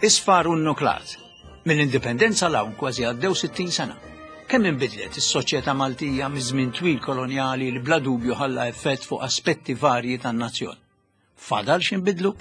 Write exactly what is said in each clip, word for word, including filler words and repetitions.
Isfar u nuklat. Mill-indipendenza 'l hawn kważi għaddew sittin sena. Kemm inbidlet is-soċjetà Maltija miż-żmien twil kolonjali li bla dubju ħalla effett fuq aspetti varji tan-nazzjon. Fadal x'inbidlu?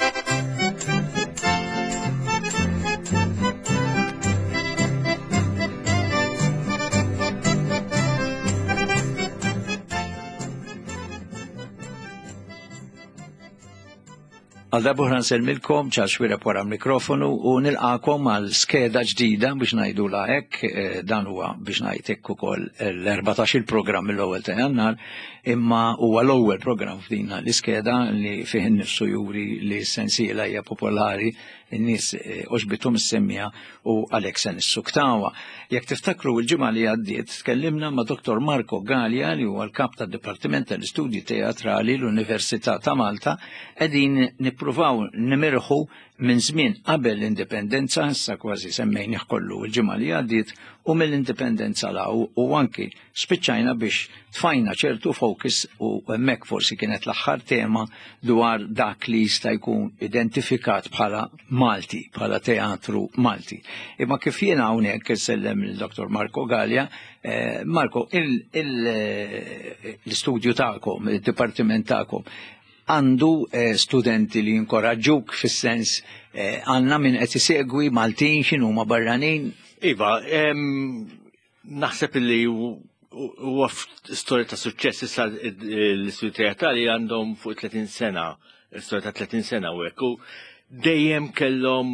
Għal darba nsellmilkom Charles Xuereb wara l-mikrofonu u nilqakom għal skeda ġdida biex ngħidu la hekk, eh, dan huwa biex ngħid hekk ukoll l-erbatax il-programm mill-ewwel ta' Jannar, imma huwa l-ewwel programm f'din l-iskeda li fih innifsu juri li s-sensiela hija popolari, in-nies eh, oġbithom is-semmija u għalhekk se nissuktawha. Jekk tiftakru l-ġimgħa li għaddiet tkellimna ma' Dottor Marco Galea li huwa l-kap tad-Dipartiment tal-Istudji Teatrali l-Università ta' Malta, qegħdin nippruvaw nimirħu minn żmien qabel l-indipendenza, issa kważi semmejnih kollu l-ġimgħa li għaddiet, u mill-indipendenza 'l hawn, u anki spiċċajna biex tfajna ċertu focus u hemmhekk forsi kienet l-aħħar tema dwar dak li jista' jkun identifikat bħala Malti, bħala teatru Malti. Imma kif jiena hawnhekk insellem lil Dottor Marco Galea, eh, Marco, l-istudju tagħkom, il-dipartiment tagħkom, għandu eh, studenti li jinkoraġġuk fis-sens eh, għandna min qed isegwi Maltin x'inhuma barranin? Iva, naħseb li huwa storja ta' suċċess issa l-istudji teatrali għandhom fuq tletin sena, storja ta' tletin sena u hekk. U dejjem kellhom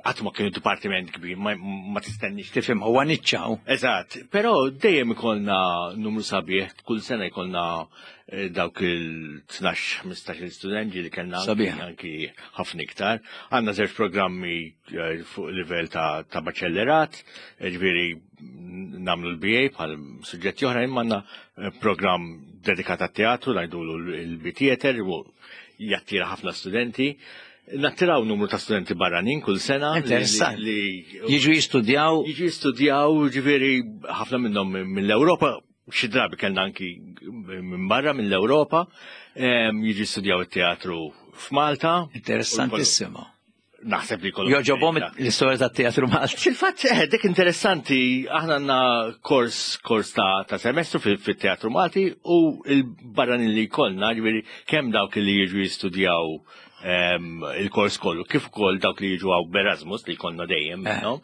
qatt ma kienu dipartiment kbir, ma, ma tistennix. Tifhem, huwa niċċaw. Eżatt, però dejjem ikollna numru sabiħ, kull sena jkollna eh, dawk il-tnax, ħmistax il-studenti li kellna Sabiħ. anki ħafna iktar. Għandna żewġ programmi, eh, fuq livell ta', ta' baċellerat, eh, ġifieri nagħmlu l-B A bħal suġġetti oħra, imma għandna, eh, programm dedikat għat-teatru, ngħidulu l-B Theater, u jattira ħafna studenti. Nattiraw numru ta' studenti barranin kull sena. Interessant. Li, li Jiġu jistudjaw. Jiġu jistudjaw, ġifieri ħafna minnhom mill-Ewropa, xi drabi kellna anki minn barra mill-Ewropa, em, jiġu jistudjaw it-teatru f'Malta. Interessantissimo. Naħseb li kollu. Joġobhom l-istorja tat-teatru Malti. Fil-fatt, eh, dik interessanti, aħna għandna kors, kors ta', ta' semestru fil-, fit-teatru Malti u il-barranin li jkollna, ġifieri kemm dawk li jiġu jistudjaw, em, il-kors kollu, kif ukoll dawk li jiġu għaw b'Erasmus li jkollna dejjem Eh. minnhom,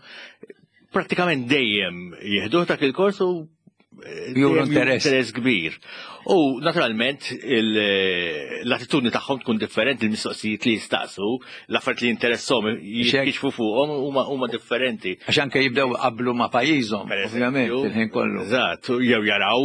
prattikament dejjem jieħdu dak il-kors u Juru dejjem interess. interess kbir. U naturalment il-, l-attitudni tagħhom tkun differenti, il-mistoqsijiet li jistaqsu, l-affarijiet li jinteresshom jikxfu fuqhom huma, huma differenti. Għax anke jibdew qablu ma' pajjiżhom, Per eżempju, ovvjament, il-ħin kollu. Eżatt, jew jaraw,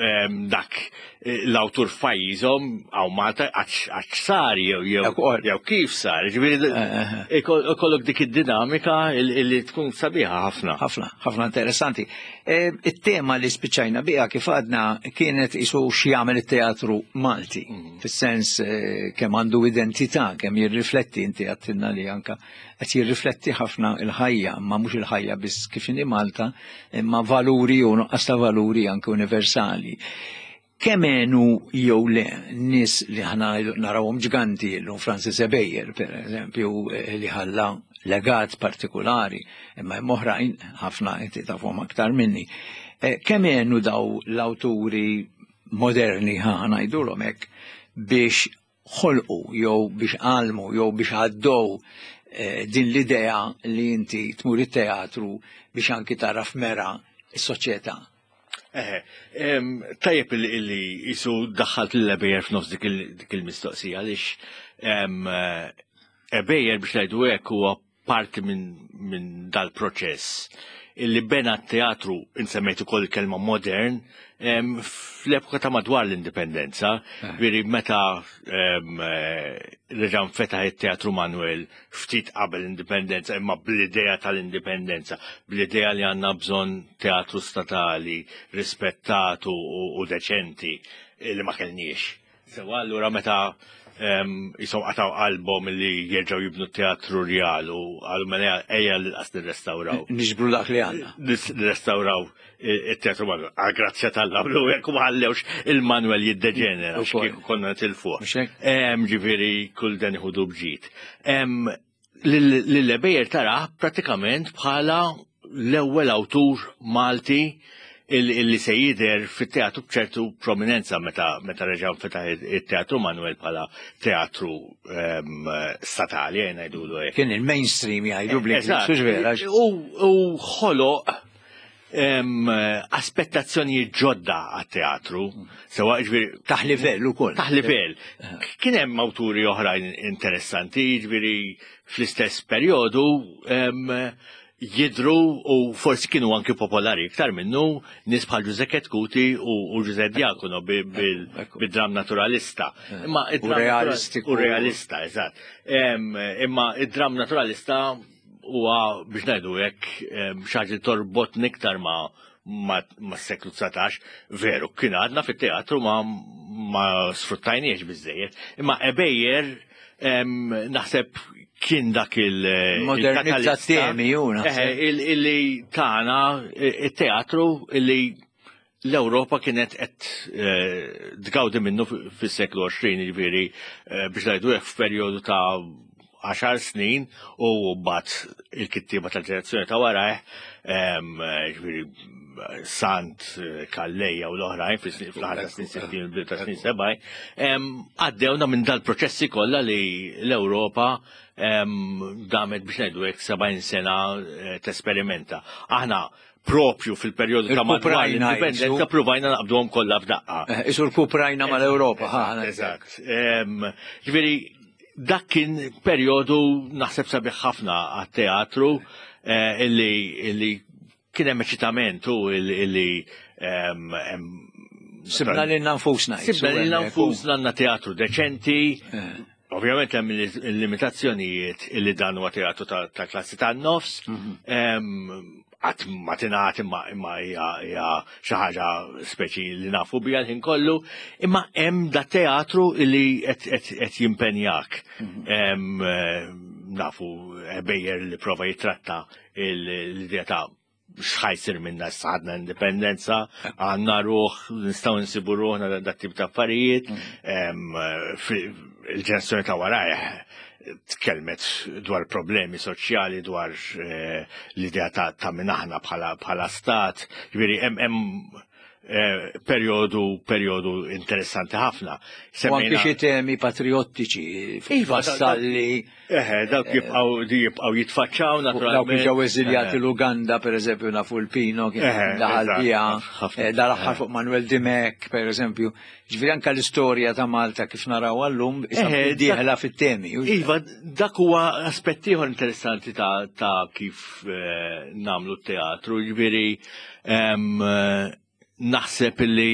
em, dak, eh, l-awtur f'pajjiżhom hawn Malta għax, għax sar jew, jew, Ekk, jew kif sar. Ġifieri, Eh, eh, eh. ikoll-, ikollok dik id-dinamika il-, illi tkun sabiħa ħafna. Ħafna, ħafna interessanti. Eh, it-tema li spiċċajna biha kif għadna kienet isu x'jagħmel it-teatru Malti, Mm. fis-sens, eh, kemm għandu identità, kemm jirrifletti, inti għattilna li anka qed jirrifletti ħafna il-ħajja, ma mhux il-ħajja biss kif inhi Malta, imma valuri u nuqqas ta' valuri anke universali. Kemm għenu jew le nies li aħna narawhom ġganti llum, Francis Ebejer, per eżempju, eh, li ħalla legat partikolari, imma hemm oħrajn ħafna inti tafhom aktar minni. Eh, kemm għenu daw l-awturi moderni, ħa ngħidulhom hekk, biex ħolqu jew biex għalmu jew biex għaddew, eh, din l-idea li inti tmur it-teatru biex anki taraf mera s-soċjetà? Eħe, em, tajjeb illi, illi jisu daħħalt l-Ebejer f'nofs dik il-, dik il-mistoqsija, għaliex, em, Ebejer biex ngħidu hekk huwa parti minn, minn dal-proċess illi bena t-teatru, insemmejt ukoll il-kelma modern, em, fl-epoka ta' madwar l-indipendenza, Eh. veri meta, em, eh, reġa' nfetaħ it-teatru Manuel ftit qabel l-indipendenza, imma bl-idea tal-indipendenza, bl-idea li għandna bżonn teatru statali rispettatu u, u deċenti li ma kellniex. Sewa, allura meta, em, jisom qataw qalbhom li jerġgħu jibnu teatru rjal u għalu mela ejja l-qas nirrestawraw. Niġbru dak li għandna. Nis-, nirrestawraw it-teatru Manuel. Għal grazzja tal-lablu, jekk ma ħallewx il-Manuel jiddeġenera, Ukoll. kieku konna tilfuh. Mhux hekk? Em, ġifieri kull dan iħudu bġid. Em, Lil Ebejer tarah pratikament bħala l-ewwel awtur Malti illi se jidher fit-teatru b'ċertu prominenza meta meta reġa' fetaħ it-Teatru Manuel bħala teatru statali, ngħidulu hekk. Kien il-mainstream jgħidu bl-Ingliż, vera. U ħoloq aspettazzjonijiet ġodda għat-teatru, sewa ġifieri taħ livell ukoll. Taħ livell. Kien hemm awturi oħrajn interessanti, ġifieri fl-istess perjodu jidru u forsi kienu anki popolari iktar minnu nies bħal Ġużè Chetcuti u Ġużè Diacono bid-dram naturalista. Imma u realistiku. U realista, eżatt. Imma id-dram naturalista huwa biex ngħidu hekk xi ħaġa li torbotni iktar ma' ma' seklu dsatax, veru, kien għadna fit-teatru ma, ma sfruttajniex biżejjed. Imma Ebejer naħseb kien dak il- Modernizza temi, ju, Illi tana il-teatru illi l-Ewropa kienet qed tgawdi minnu fis-seklu għoxrin, jiġifieri biex ngħidu hekk f'perjodu ta' għaxar snin u mbagħad il-kittieba tal-ġenerazzjoni ta' warajh, ġifieri Sant, Calleja u l-oħrajn fl-aħħar ta' snin sittin u ta' snin sebgħin, għaddewna minn dal-proċessi kollha li l-Ewropa damet biex ngħidu hekk sebgħin sena tesperimenta. Aħna propju fil-perjodu ta' madwar l-indipendenza provajna naqbduhom kollha f'daqqa. Isu l-kuprajna mal-Ewropa. Eżatt. Ġifieri dak kien perjodu naħseb sabiħ ħafna għat-teatru illi illi kien hemm eċitament u illi sibna lilna nfusna. Sibna lilna nfusna għandna teatru deċenti. Ovvjament hemm il-limitazzjonijiet illi dan huwa teatru ta' klassi tan-nofs. Qatt ma tingħad imma imma hija xi ħaġa speċi li nafu biha l-ħin kollu, imma hemm da teatru illi qed jimpenjak. Nafu Ebejer li prova jitratta l-idea ta' x'ħajsir minna issa għandna indipendenza, għandna ruħ, nistgħu nsibu ruħna dat tip ta' affarijiet. Il-ġenerazzjoni ta' warajh tkellmet dwar problemi soċjali, dwar l-idea ta' min aħna bħala stat, ġifieri hemm perjodu perjodu interessanti ħafna. U anki xi temi patriottiċi, Iva, Vassalli. Eħe, dawk jibqgħu jibqgħu jitfaċċaw naturalment. Dawk ġew eżiljati l-Uganda, per eżempju, nafu l-Pino kien daħal biha, dal-aħħar fuq Manuel Dimech, per eżempju. Ġifieri anke l-istorja ta' Malta kif naraw għallum dieħla fit-temi. Iva, dak huwa aspett ieħor interessanti ta' kif nagħmlu t-teatru, ġifieri naħseb illi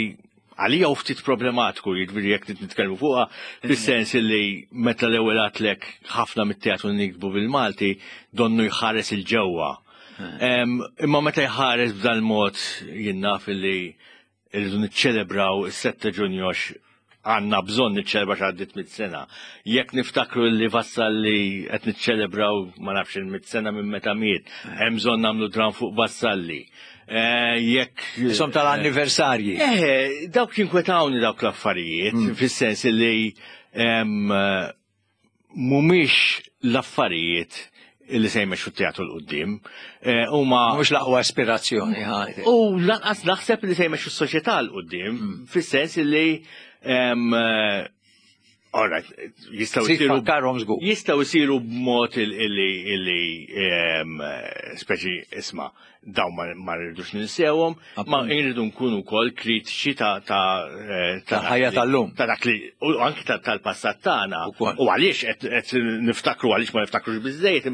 għalija u ftit problematiku, jiġifieri jekk nitkellmu fuqha, fis-sens illi meta l-ewwel għatlek ħafna mit-teatru nikbu bil-Malti donnu jħares il-ġewwa. Imma meta jħares b'dan mod jien naf illi rridu niċċelebraw is-sette Ġunju għax għandna bżonn niċċelebra x'għaddiet mit sena. Jekk niftakru li Vassalli qed niċċelebraw ma nafx il-mit sena minn meta miet, hemm bżonn nagħmlu dram fuq Vassalli. Jekk Isom tal-anniversarji. Eh, dawk jinkwetawni dawk l-affarijiet, fis-sens li mhumiex l-affarijiet illi se jmexxu t-teatru 'l quddiem. Huma mhux l-aqwa aspirazzjoni. U lanqas naħseb li se jmexxu s-soċjetà 'l quddiem, fis-sens li all right, jistgħu jsiru jistgħu jsiru b'mod illi illi speċi isma' dawn ma rridux ninsewhom, ma rridu nkunu wkoll kritiċi ta' ta' ħajja tal-lum. Ta' dak li u anki tal-passat tagħna. U għaliex qed niftakru għaliex ma niftakrux biżejjed,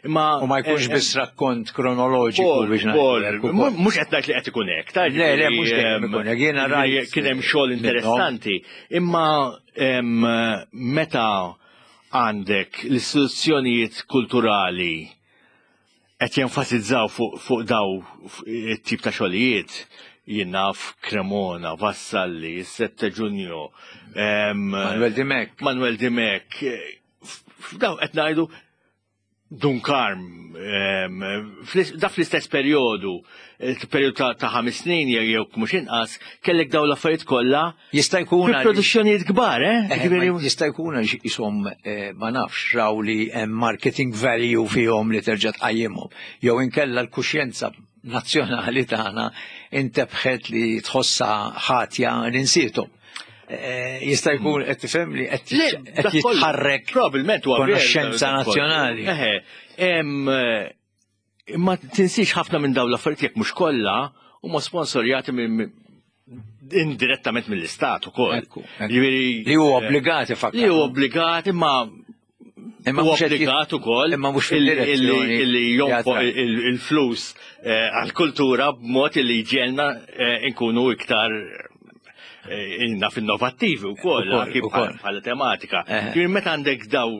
imma u ma jkunx biss rakkont kronoloġiku biex ngħidu. Mhux qed ngħid li qed ikun hekk, ta' Le, le, mhux dejjem ikun hekk. Jiena rajt kien hemm xogħol interessanti, imma meta għandek l-istituzzjonijiet kulturali qed jenfasizzaw fuq daw it-tip ta' xogħlijiet, jien naf Cremona, Vassalli, is-sette Ġunju, Manuel Dimech. Manuel Dimech. F'daw qed ngħidu Dun Karm, em, fl- da fl-istess periodu, periodu ta' ta' ħames snin jew jew mhux inqas, kellek daw l-affarijiet kollha Jista' jkun fi għaliex- produzzjonijiet kbar, eh? Eh, Ġifieri- ma jista' jkun għax isom eh, ma nafx raw li hemm marketing value fihom li terġa' tqajjimhom. Jew inkella l-kuxjenza nazzjonali tagħna intebħet li tħossha ħatja li nsiethom. Eh, Jista' jkun qed tifhem li qed Le, qed dak kollu, jitħarrek Probabilment huwa veru, konoxxenza dak kollu. nazzjonali. Eħe, em, eh, imma tinsiex ħafna minn dawn l-affarijiet jekk mhux kollha huma sponsorjati minn indirettament mill-istat ukoll. Ekku, ekku. Ġifieri, Li huwa eh, obbligati fakkar. Li huwa obbligat imma Imma huwa mhux qed jit- obbligat ukoll imma mhux illi- fid-direzzjoni illi illi jonfoq teatrali. il- il-flus eh, għall-kultura b'mod illi jġegħelna eh, nkunu iktar eh, naf innovattivi wkoll Ukoll, anki ukoll. bħala bħala tematika. Eh. Ġifieri meta għandek daw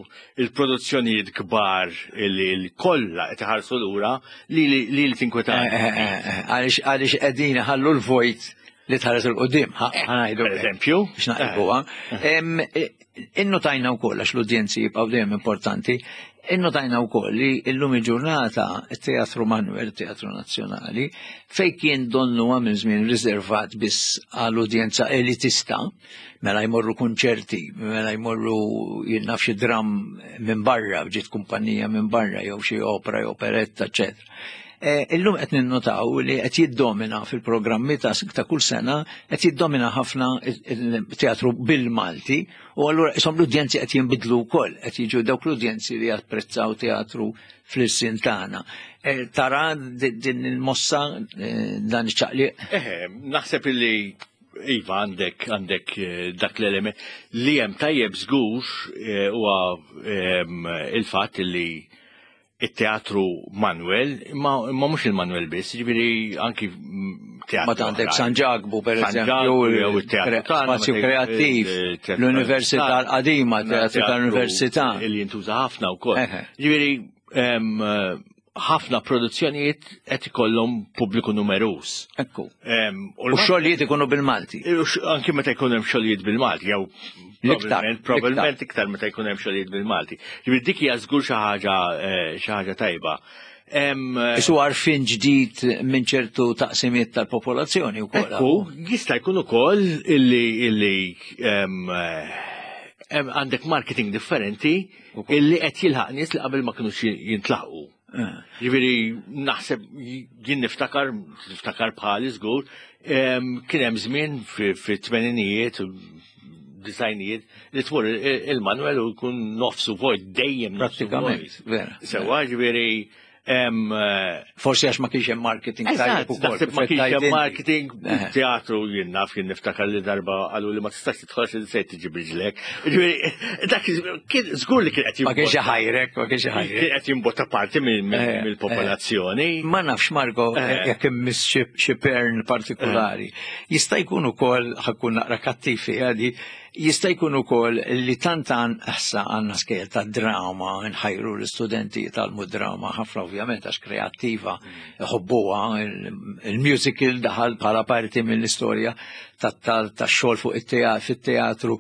il-produzzjonijiet kbar illi li kollha qed iħarsu lura li li li li tinkwetani. Eh, eh, eh, eh, Għaliex għaliex qegħdin ħallu l-vojt li tħares 'il quddiem, ħa ngħidu Per eżempju. biex naqilbuha. Em, eh, Innotajna wkoll għax l-udjenzi jibqgħu dejjem importanti, innotajna wkoll li illum il-ġurnata it-Teatru Manuel, Teatru Nazzjonali, fej kien donnu minn żmien riservat biss għall-udjenza elitista, mela jmorru konċerti, mela jmorru jien naf xi dram minn barra, ġiet kumpanija minn barra, jew xi opera, jew operetta, eccetera. Eh, Illum qed ninnotaw li qed jiddomina fil-programmi ta' ta' kull sena qed jiddomina ħafna il-teatru bil-Malti u allura isom l-udjenzi qed jinbidlu wkoll, qed jiġu dawk l-udjenzi li japprezzaw teatru fl-ilsien tagħna. Eh, Tara di- din il-mossa eh, dan iċ-ċaqliq? Eħe, naħseb illi Iva għandek għandek eh, dak l-element li hemm tajjeb żgur eh, huwa em, il-fatt illi it-teatru Manuel, imma imma mhux il-Manuel biss, ġifieri anki mm, teatru. Ma għandek oħrajn. San Ġakbu, per San eżempju, Ġakbu, jew it-teatru kre- tagħna, spazju meta jkun kreattiv, il-teatru l-Università tagħna. l-qadima, teatru tal-Università. Illi jintuża ħafna wkoll. Eħe. Ġifieri em, eh, ħafna produzzjonijiet qed ikollhom pubbliku numeruż. Ekku. Em, U xogħlijiet ikunu bil-Malti. Anki meta jkun hemm xogħlijiet bil-Malti, jew L-iktar, probabbilment probabbilment iktar meta jkun hemm xogħlijiet bil-Malti. Ġifieri dik hija żgur xi ħaġa eh, xi ħaġa tajba. Em, eh, Isu għarfien ġdid minn ċertu taqsimiet tal-popolazzjoni wkoll. Ekku, jista' jkun ukoll illi illi em, eh, em, għandek marketing differenti Ukoll. illi qed jilħaq nies li qabel ma kinux jintlaqu. Eh. Ġifieri naħseb jien niftakar, niftakar bħali żgur, em, kien hemm żmien fi-tmeninijiet, disgħinijiet, li tmur il- il-Manuel u jkun nofsu vojt, dejjem nofsu Prattikament, vojt. vera. Sewa, ġifieri, em, eh, Forsi għax ma kienx hemm marketing Eżatt, tajjeb ukoll. naħseb ma kif kienx qed hemm tgħid inti. marketing, Eh. teatru jien naf jien niftakar li darba qalu li ma tistax tidħol xi se tiġi b'riġlek. Ġifieri, dak kien żgur li kien qed Ma kienx jimbotta- ħajrek, ma kienx ħajrek. kien qed jimbotta parti minn- minn- Eh, mill-popolazzjoni. Ma nafx Marko, Eh. jekk immiss xi xi pern partikolari. Jista' jkun ukoll ħa nkun naqra kattivi għadi, jista' jkun ukoll li tant għan issa għandna skejjel ta' drama, nħajru l-istudenti tal drama ħafna ovvjament għax kreattiva ħobbuha, il-musical daħal bħala parti mill-istorja tax-xogħol fuq it-teatru fit-teatru.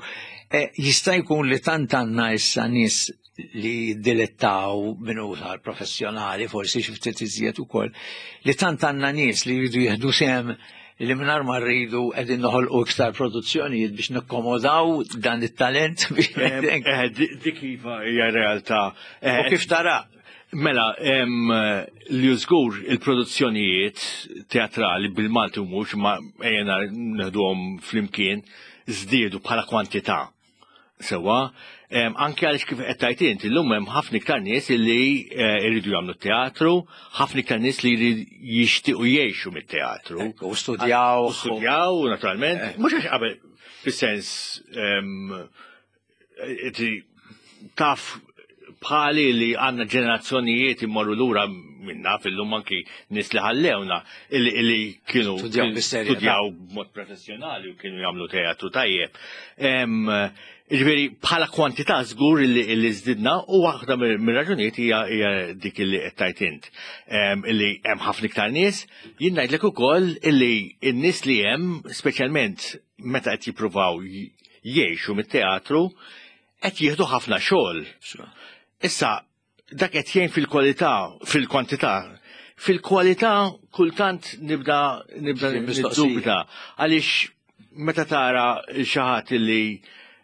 Eh, Jista' jkun li tant għandna issa nies li dilettaw minnu sar professjonali, forsi xi ftit iżjed ukoll, li tant għandna nies li jridu jieħdu sehem li mingħajr ma rridu qegħdin noħolqu iktar produzzjonijiet biex nikkomodaw dan it-talent biex Eh, eh, di- Dik iva hija realtà. Eh, U kif tara? Mela, em, li żgur il-produzzjonijiet teatrali bil-Malti u mhux ma ejjena neħduhom flimkien żdiedu bħala kwantità. Sewa, em, anke għaliex kif qed tgħid inti llum hemm ħafna iktar nies illi eh, jridu jagħmlu teatru, ħafna iktar nies li jrid- jixtiequ jgħixu mit-teatru. U studjaw. U studjaw, naturalment. Eh. Mhux għax qabel, fis-sens, em, inti taf bħali li għandna ġenerazzjonijiet immorru lura minna fil-lum anki nies li ħallewna illi, illi kienu Studjaw bis-serjetà. studjaw b'mod professjonali u kienu jagħmlu teatru tajjeb. Em, Ġifieri bħala kwantità żgur illi, illi żdidna u waħda mir-raġunijiet hija hija dik illi qed tgħid int. Em, Illi hemm ħafna iktar nies, jien ngħidlek ukoll illi n-nies li hemm, speċjalment meta qed jippruvaw j- jgħixu mit-teatru, qed jieħdu ħafna xogħol. Issa, Dak qed jgħin fil-kwalità, fil-kwantità. Fil-kwalità kultant nibda nibda niddubita għaliex meta tara xi ħadd li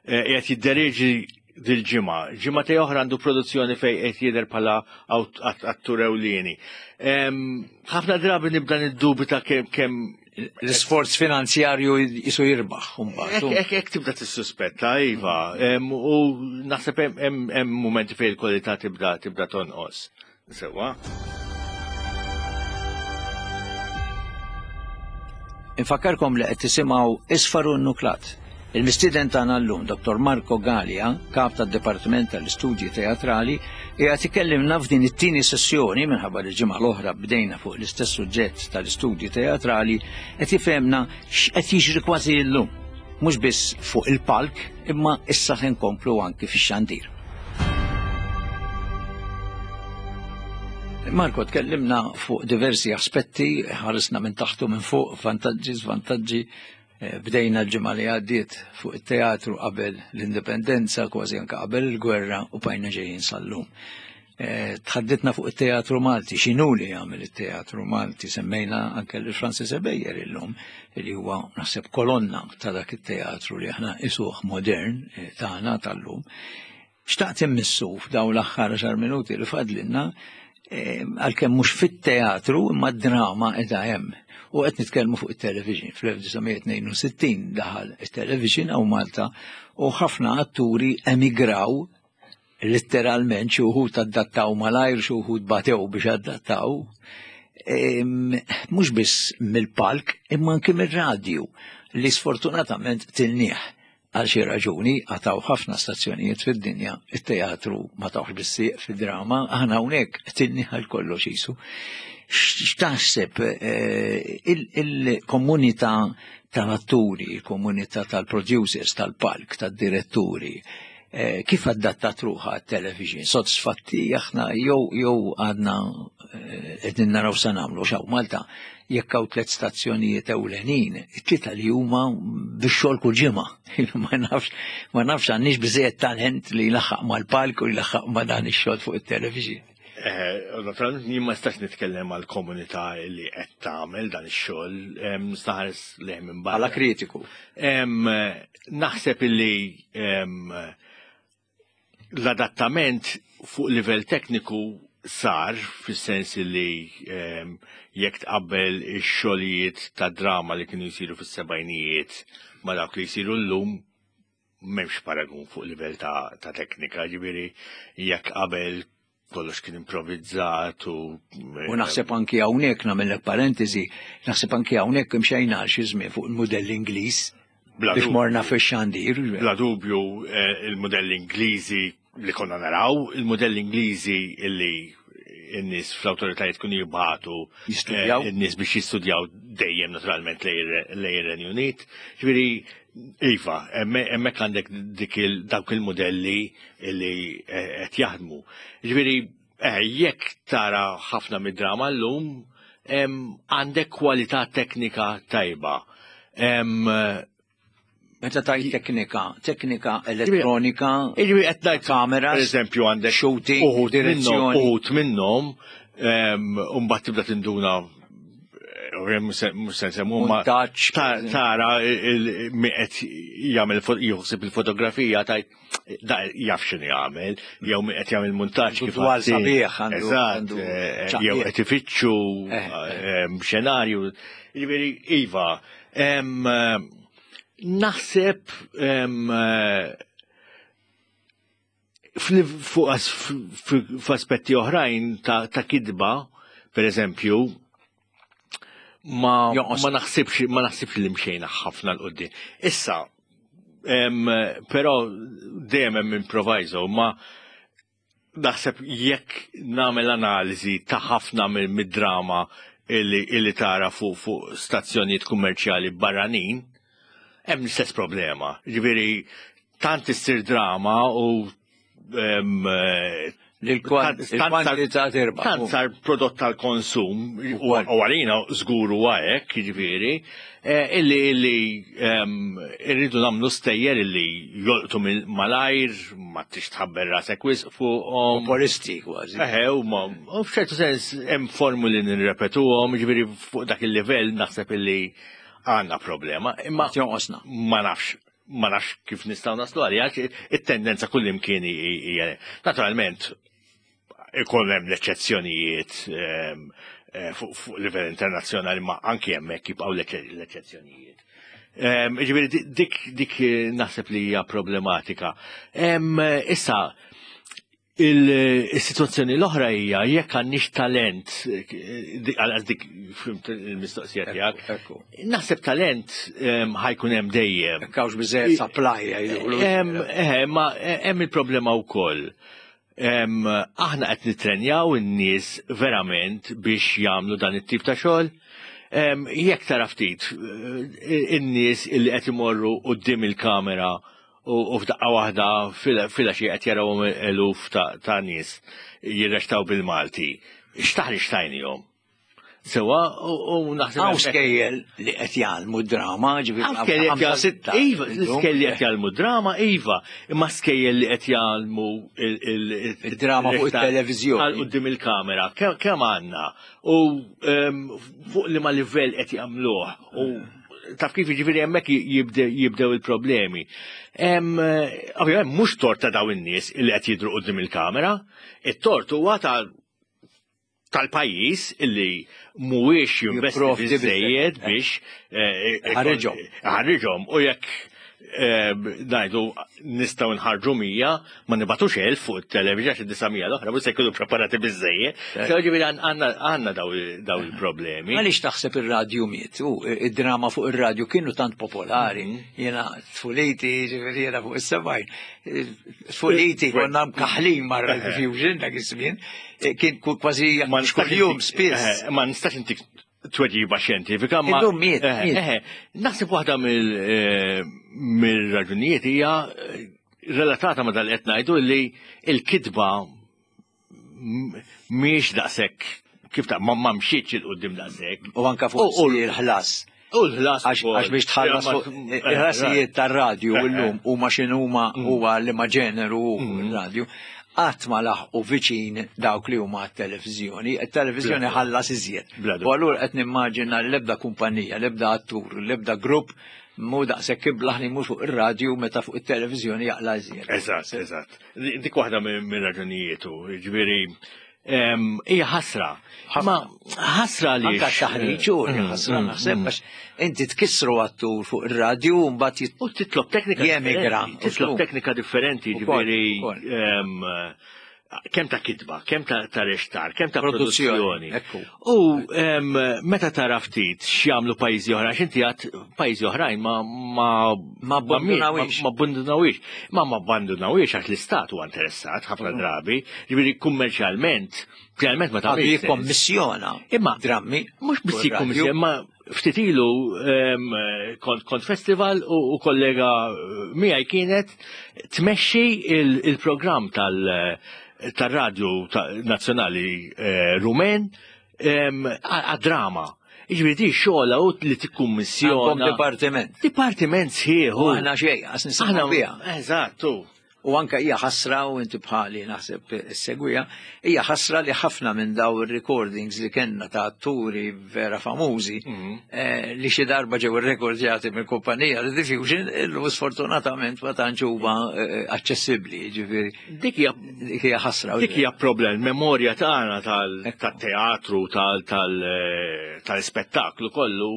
eh, qed jiddereġi dil-ġimgħa, ġimgħa te oħra għandu produzzjoni fejn qed jidher bħala attur ewlieni. Ħafna drabi nibda niddubita kemm kemm l-isforz finanzjarju jisu jirbaħ. Ek ek tibda tissuspetta, iva, u naħseb hemm momenti fejn il-kwalità tibda tibda tonqos. Sewwa. Infakkarkom li qed tisimgħu Isfar u Nuklat. Il-mistieden tagħna llum, Dottor Marco Galea, kap tad-Dipartiment tal-Istudji Teatrali, qiegħed ikellimna f'din it-tieni sessjoni minħabba li ġimgħa l-oħra bdejna fuq l-istess suġġett tal-istudji teatrali, qed jifhemna x'qed jiġri kważi llum, mhux biss fuq il-palk, imma issa ħin nkomplu anki fix-xandir. Marco, tkellimna fuq diversi aspetti, ħarisna minn taħtu minn fuq, vantaġġi, żvantaġġi. Bdejna l-ġimgħa li għaddiet fuq it-teatru qabel l-indipendenza, kważi anke qabel il-gwerra, u bajna ġejjin sal-lum. Tħadditna fuq it-teatru Malti, x'inhu li jagħmel it-teatru Malti, semmejna anke lil Francis Ebejer illum, li huwa naħseb kolonna ta' dak it-teatru li aħna isuh modern tagħna tal-lum. Xtaqt immissu f'dawn l-aħħar għaxar minuti li fadlilna, għalkemm mhux fit-teatru imma d-drama qiegħda hemm. U qed nitkellmu fuq it-television. Fl-elf disa' mija tnejn u sittin daħal it-television hawn Malta u ħafna atturi emigraw letteralment, xi wħud adattaw malajr, xi wħud batew biex adattaw, mhux biss mill-palk imma anke mir-radju li sfortunatament tilnieh għal xi raġuni għataw ħafna stazzjonijiet fid-dinja, it-teatru ma tawx bis-sieq fid-drama, aħna hawnhekk tilnieh għal kollox isu. X'taħseb il-komunità tal-atturi, il-komunità tal-producers, tal-palk, tad-diretturi, kif adattat ruħha għat-television? Sodisfatti aħna jew jew għadna qegħdin naraw sa nagħmlu x'hawn Malta jekk hawn tliet stazzjonijiet ewlenin, it-tlieta li huma bix-xogħol kull ġimgħa. Ma nafx ma nafx għandniex biżejjed talent li jlaħħaq mal-palk u jlaħħaq ma' dan ix-xogħol fuq it-television. Naturalment jien ma nistax nitkellem għal komunità li qed tagħmel dan ix-xogħol, nista' leh minn barra. Bħala kritiku. Naħseb illi l-adattament fuq livell tekniku sar, fis-sens li jekk tqabbel ix-xogħlijiet ta' drama li kienu jsiru fis-sebgħinijiet ma' dawk li jsiru llum, m'hemmx paragun fuq livell ta', ta teknika, ġifieri jekk qabel kollox kien improvvizzat u... U naħseb anki hawnhekk nagħmellek parentesi, naħseb anki hawnhekk imxejna għal xi żmien fuq il-mudell Ingliż biex morna fix-xandir. Bla dubju il-mudell Ingliżi li konna naraw, il-mudell Ingliżi illi n-nies fl-awtoritajiet kienu jibgħatu jistudjaw in-nies biex jistudjaw dejjem naturalment lejn ir-Renju Unit. Ġifieri iva, hemmhekk għandek dik dawk il-modelli li qed jaħdmu. Ġifieri jekk tara ħafna mid-drama llum, għandek kwalità teknika tajba. Meta tajt teknika, teknika elettronika, qed ngħid kameras, pereżempju għandek shooting, direzzjoni. Uħud minnhom, u mbagħad tibda tinduna mhux se nsemmu ma tara min qed jagħmel jħossib il-fotografija tajt da jaf x'inhu jagħmel, jew min qed jagħmel muntaġġ kif dwar sabiħ għandu, eżatt, jew qed ifittxu xenarju. Jiġifieri iva, naħseb fuq f'aspetti oħrajn ta' kidba, per eżempju, ma ma naħsibx ma naħsibx li mxejna ħafna l qudiem. Issa, però dejjem hemm improviso, ma naħseb jekk nagħmel analiżi ta' ħafna mid-drama illi tara fuq fuq stazzjonijiet kummerċjali barranin, hemm l-istess problema. Ġifieri tant issir drama u Il-kwantità tirbaħ. Tant sar prodott tal-konsum, u għalina żgur huwa hekk, jiġifieri, illi illi irridu nagħmlu stejjer illi jolqtu malajr, ma tix tħabber rasek wisq fuqhom. Populisti kważi. Eħe, u f'ċertu sens hemm formuli nirrepetuhom, jiġifieri fuq dak il-livell naħseb illi għandna problema. Imma ma nafx. Ma nafx kif nistgħu naslu għalija, it-tendenza kullimkien hija. Naturalment, ikun hemm l-eċċezzjonijiet fuq livell internazzjonali, ma anki hemmhekk jibqgħu l-eċċezzjonijiet. Ġifieri dik dik naħseb li hija problematika. Issa, il-situazzjoni l-oħra hija jekk għandniex talent, għal dik fhimt il-mistoqsija tiegħek. Naħseb talent ħa jkun hemm dejjem. Hekk hawnx biżejjed supply jgħidulu. Eh, ma hemm il-problema wkoll. Aħna qed nitrenjaw in-nies verament biex jagħmlu dan it-tip ta' xogħol. Jekk tara ftit in-nies illi qed imorru quddiem il-kamera u f'daqqa waħda fil-għaxija qed jarawhom eluf ta' nies jirrextaw bil-Malti. X'taħriġ tajnihom? Sewa, u naħseb. Hawn skejjel li qed jgħallmu drama, ġifieri ħamsa sitta. Iva, skejjel li qed jgħallmu drama, iva, imma skejjel li qed jgħallmu il-drama fuq it-televiżjoni. Għal quddiem il-kamera, kemm għandna? U fuq liema livell qed jagħmluh. U taf kif jiġifieri hemmhekk jibdew il-problemi. Ovvjament mhux tort ta' dawn in-nies li qed jidhru quddiem il-kamera, it-tort huwa ta' tal-pajjiż illi mhuwiex jinvesti biżejjed biex ħarriġhom. Ħarriġhom u jekk ngħidu nistgħu nħarġu mija, ma nibatux elf fuq it-television għax id-disa' mija l-oħra mhux se jkunu preparati biżejjed. Ġifieri għandna daw il-problemi. Għaliex taħseb ir-radju miet? U id-drama fuq ir-radju kienu tant popolari. Jiena tfuliti, ġifieri jiena fuq is-sebgħin. Tfuliti konna mkaħlin ma' Radio Fusion dak iż-żmien. Kien kważi kuljum spiss. Ma nistax intik tweġiba xjentifika, ma Illum miet, miet. Naħseb waħda mill-raġunijiet hija relatata ma dal qed ngħidu li l-kitba mhijiex daqshekk kif ta' ma mxietx il quddiem daqshekk. U anke fuq il-ħlas. U l-ħlas. Għax biex tħallas fuq il-ħlasijiet tar-radju llum huma x'inhuma huwa li ma ġeneru r-radju. Qatt ma laħqu viċin dawk li huma t-televiżjoni, it-televiżjoni ħallas iżjed. U allura qed nimmaġina l-ebda kumpanija, l-ebda attur, l-ebda grupp mhu daqshekk iblaħ li mhux fuq ir-radju meta fuq it-televiżjoni jaqla iżjed. Eżatt, eżatt. Dik waħda minn raġunijiet, ġifieri hija ħasra. Ma ħasra li. Anka taħriġ u ħasra naħseb għax inti tkissru attur fuq ir-radju u mbagħad U titlob teknika jemigra. Titlob teknika differenti, ġifieri kemm ta' kitba, kemm ta' rextar, kemm ta' produzzjoni. U meta tara ftit x'jagħmlu pajjiżi oħra, għax inti għad pajjiżi oħrajn ma ma ma abbandunawix. Ma abbandunawix. Ma ma abbandunawix għax l-istat huwa interessat ħafna drabi, ġifieri kummerċjalment, finalment ma tagħmilx. Jikkommissjona. Imma drammi. Mhux biss jikkommissjona, imma ftit ilu kont kont festival u kollega miegħi kienet tmexxi il-programm tal- tal-radju nazzjonali Rumen għad-drama. Jiġifieri di xogħla u li tikkummissjona. Dipartiment. Dipartiment sħiħ. U aħna xejn, għas nisimgħu biha. Eżattu. U anka hija ħasra u inti bħali naħseb segwija, hija ħasra li ħafna minn daw ir-recordings li kellna ta' atturi vera famużi li xi darba ġew irrekordjati mill kumpanija li Diffusion illum sfortunatament ma tantx huma aċċessibbli, ġifieri. Dik hija dik hija ħasra. Dik hija problem, memorja tagħna tal-teatru, tal-ispettaklu kollu.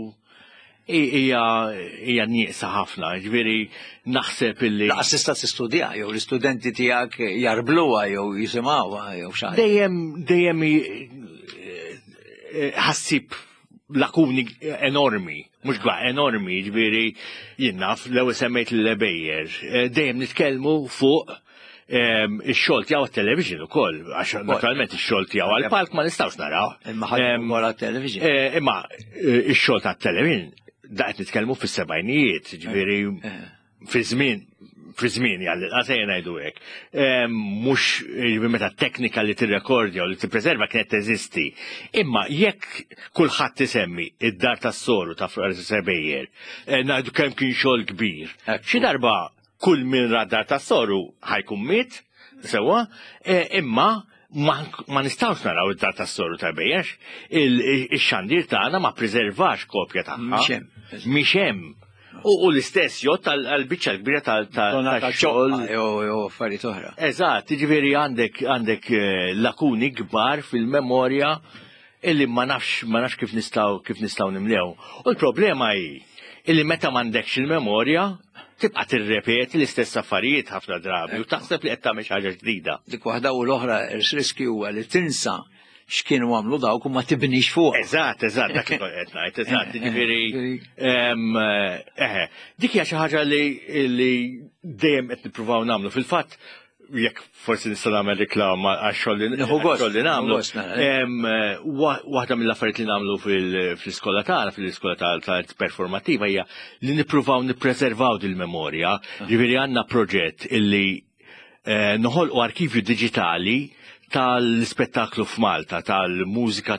Hija hija nieqsa ħafna, ġifieri naħseb illi. Laqas tista' tistudja jew l-istudenti tiegħek jarbluha jew jisimgħuha jew xi. Dejjem dejjem ħassib lakuni enormi, mhux gwa enormi, ġifieri jien naf l-ewwel semmejt l-Lebejjer, dejjem nitkellmu fuq ix-xogħol tiegħu għat-television ukoll, għax naturalment ix-xogħol tiegħu għall-palk ma nistgħux naraw. Imma ħadd wara t-television. Imma ix-xogħol tat-television da qed nitkellmu fis-sebgħinijiet, ġifieri fi żmien fi żmieni għall-inqas ejja ngħidu hekk. Mhux meta teknika li tirrekordja u li tippreserva kienet teżisti. Imma jekk kulħadd isemmi id-dar tas-soru ta' Francis Ebejer, ngħidu kemm kien xogħol kbir. Xi darba kull min ra dar tas-soru ħa jkun miet, sewwa, imma ma nistgħux naraw id-dar tas-soru ta' Ebejer. Il-xandir tagħna ma preservax kopja tagħha. Mhix hemm. U l-istess jgħodd għal-biċċa l-kbira tal-xogħol. Jew affarijiet oħra. Eżatt, jiġifieri għandek għandek lakuni kbar fil-memorja illi ma nafx ma nafx kif nistgħu kif nistgħu nimlew. U l-problema hi illi meta m'għandekx il-memorja tibqa' tirrepeti l-istess affarijiet ħafna drabi u taħseb li qed tagħmel xi ħaġa ġdida. Dik waħda u l-oħra ir-riskju huwa li tinsa x'kienu għamlu dawk u ma tibnix fuq. Eżatt, eżatt, dak li qed ngħid, eżatt, jiġifieri eħe, dik hija xi ħaġa li li dejjem qed nippruvaw nagħmlu. Fil-fatt, jekk forsi nista' nagħmel reklama għax-xogħol li nagħmlu. Waħda mill-affarijiet li nagħmlu fl-iskola tagħna, fl-iskola tal-performattiva hija li nippruvaw nippreservaw dil-memorja. Ġifieri għandna proġett illi noħolqu arkivju diġitali tal-spettaklu f'Malta, tal-mużika,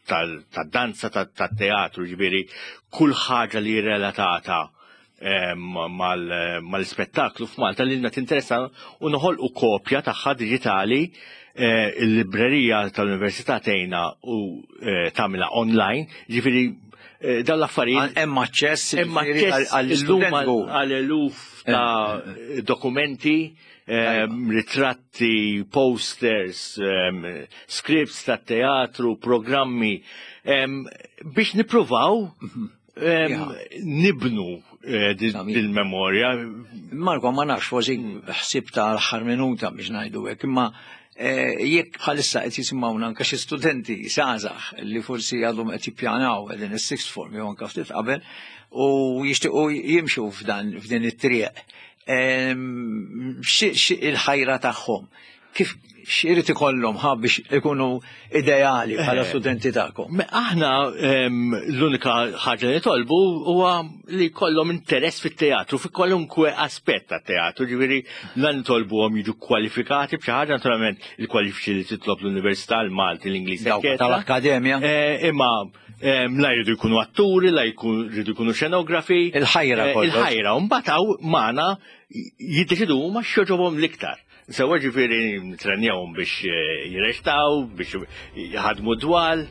tal-danza, tal-teatru, ġifieri kull ħaġa li relatata mal-spettaklu f'Malta li lna tinteressa u noħolqu kopja tagħha diġitali. Il-librerija tal-Università tgħinna u tagħmilha online, ġifieri dawn l-affarijiet. Hemm aċċess Hemm aċċess għal eluf ta' dokumenti, ritratti, posters, scripts ta' teatru, programmi, biex nippruvaw nibnu dil-memorja. Marko, ma nafx, forsi ħsib ta' l-aħħar minuta biex ngħidu hekk, imma jekk bħalissa qed jisimgħuna anke xi studenti żgħażagħ li forsi għadhom qed jippjanaw qegħdin is-sixth form jew anke ftit qabel u jixtiequ jimxu f'dan f'din it-triq. Il-ħajra tagħhom kif x'irid ikollhom ħa biex ikunu ideali bħala studenti tagħkom? Aħna l-unika ħaġa li nitolbu huwa li jkollhom interess fit-teatru, fi kwalunkwe aspett tat-teatru, ġifieri la nitolbuhom jiġu kwalifikati b'xi ħaġa, naturalment il-kwalifiċi li titlob l-Università, l-Malti, l-Ingliż, tal-Akkademja. Imma la jridu jkunu atturi, la jridu jkunu xenografi. Il-ħajra. Il-ħajra, u mbagħad hawn magħna jiddeċidu huma x'jogħġobhom l-iktar. Sewwa ġifieri nitrenjawhom biex jirrextaw, biex jħadmu dwal,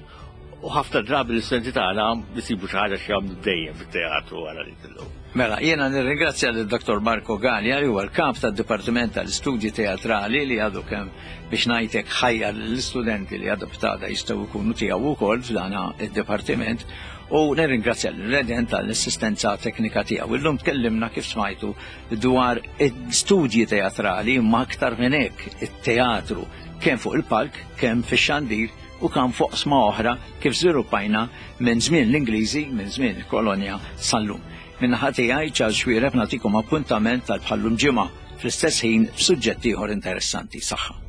u ħafna drabi l-istudenti tagħna jsibu xi ħaġa x'jagħmlu dejjem fit-teatru wara li tilgħu. Mela, jiena nirringrazzja lil Dottor Marko Galea li huwa l-kap tad-Dipartiment tal-Istudji Teatrali li għadu kemm biex ngħidlek ħajjar l-istudenti li għadu btada jistgħu jkunu tiegħu wkoll f'dan id-dipartiment, u nirringrazzja l-Redent tal-assistenza teknika tiegħu. Illum tkellimna kif smajtu dwar studji teatrali, imma aktar minn hekk it-teatru kemm fuq il-palk, kemm fix-xandir u kemm fuq sma oħra kif żviluppajna minn żmien l-Ingliżi, minn żmien il-kolonja sal-lum. Min-naħa tiegħi Charles Xuereb nagħtikom appuntament tal-bħallum ġimgħa fl-istess ħin f'suġġett ieħor interessanti. Saħħa.